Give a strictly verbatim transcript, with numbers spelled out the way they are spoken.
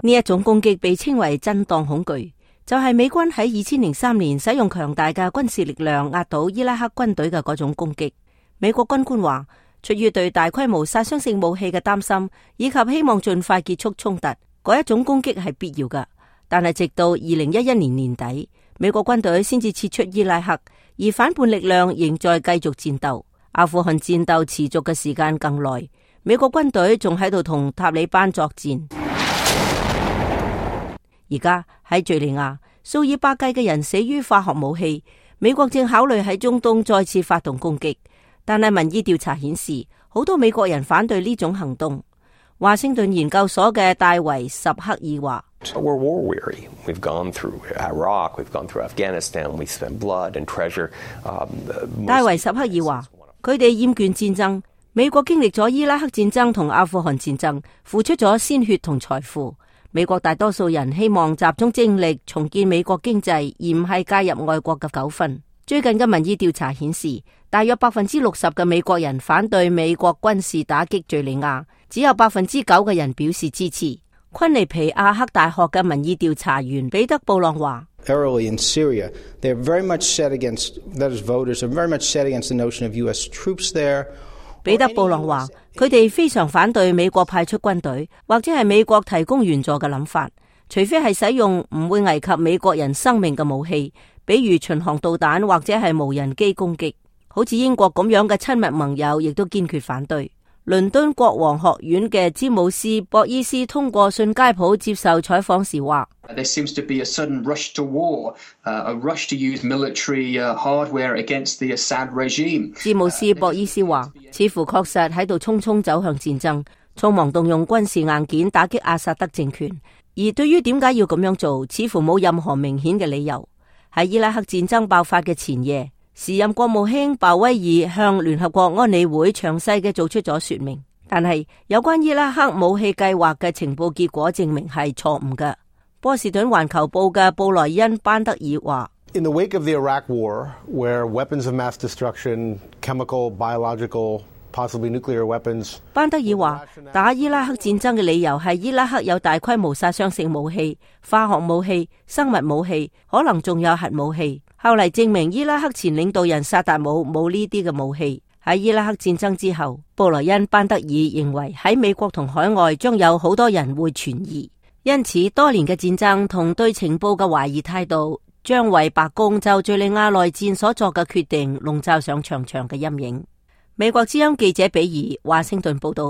呢一種攻擊被稱為震盪恐懼，就係美軍喺二千零三年使用強大嘅軍事力量壓倒伊拉克軍隊嘅嗰種攻擊。美國軍官話，出於對大規模殺傷性武器嘅擔心，以及希望盡快結束衝突，嗰一種攻擊係必要嘅。但係直到二零一一年年底，美國軍隊先至撤出伊拉克，而反叛力量仍在繼續戰鬥。阿富汗戰鬥持續嘅時間更耐，美國軍隊仲喺度同塔利班作戰。而家喺敘利亞，數以百計嘅人死於化學武器，美國正考慮喺中東再次發動攻擊。但係民意調查顯示，好多美國人反對呢種行動。華盛頓研究所嘅戴維什克爾話：We're war weary. We've gone through Iraq, we've gone through Afghanistan, we spent blood and treasure. 戴維什克爾話：佢哋厭倦戰爭。美國經歷咗伊拉克戰爭同阿富汗戰爭，付出咗鮮血同財富。美國大多數人希望集中精力重建美國經濟，而唔係介入外國嘅糾紛。最近嘅民意調查顯示，大約百分之六十嘅美國人反對美國軍事打擊敘利亞，只有百分之九嘅人表示支持。昆尼皮亞克大學嘅民意調查員彼得布朗話：Early in Syria, they're very much set against, that is, voters are very much set against the notion of U S troops there. 彼得布朗話，佢哋非常反對美國派出軍隊，或者係美國提供援助嘅諗法，除非係使用唔會危及美國人生命嘅武器。比如巡航導彈或者係無人機攻擊，好似英國咁樣嘅親密盟友亦都堅決反對。倫敦國王學院嘅詹姆斯博伊斯通過信街譜接受採訪時話：There seems to be a sudden rush to war, a rush to use military hardware against the Assad regime。詹姆斯博伊斯話：似乎確實喺度匆匆走向戰爭，匆忙動用軍事硬件打擊阿薩德政權。而對於點解要咁樣做，似乎冇任何明顯嘅理由。喺伊拉克戰爭爆發嘅前夜，時任國務卿鮑威爾向聯合國安理會詳細嘅做出咗說明，但係有關伊拉克武器計劃嘅情報結果證明係錯誤嘅。波士頓環球報嘅布萊恩班德爾話：In the wake of the Iraq War, where weapons of mass destruction, chemical, biological, possibly nuclear weapons， 班德爾話，打伊拉克戰爭嘅理由係伊拉克有大規模殺傷性武器、化學武器、生物武器，可能仲有核武器。後嚟證明伊拉克前領導人薩達姆冇呢啲嘅武器。喺伊拉克戰爭之後，布萊恩班德爾認為喺美國同海外將有好多人會存疑，因此多年嘅戰爭同對情報嘅懷疑態度，將為白宮就敘利亞內戰所作嘅決定籠罩上長長嘅陰影。美國之音記者比爾華盛頓報道。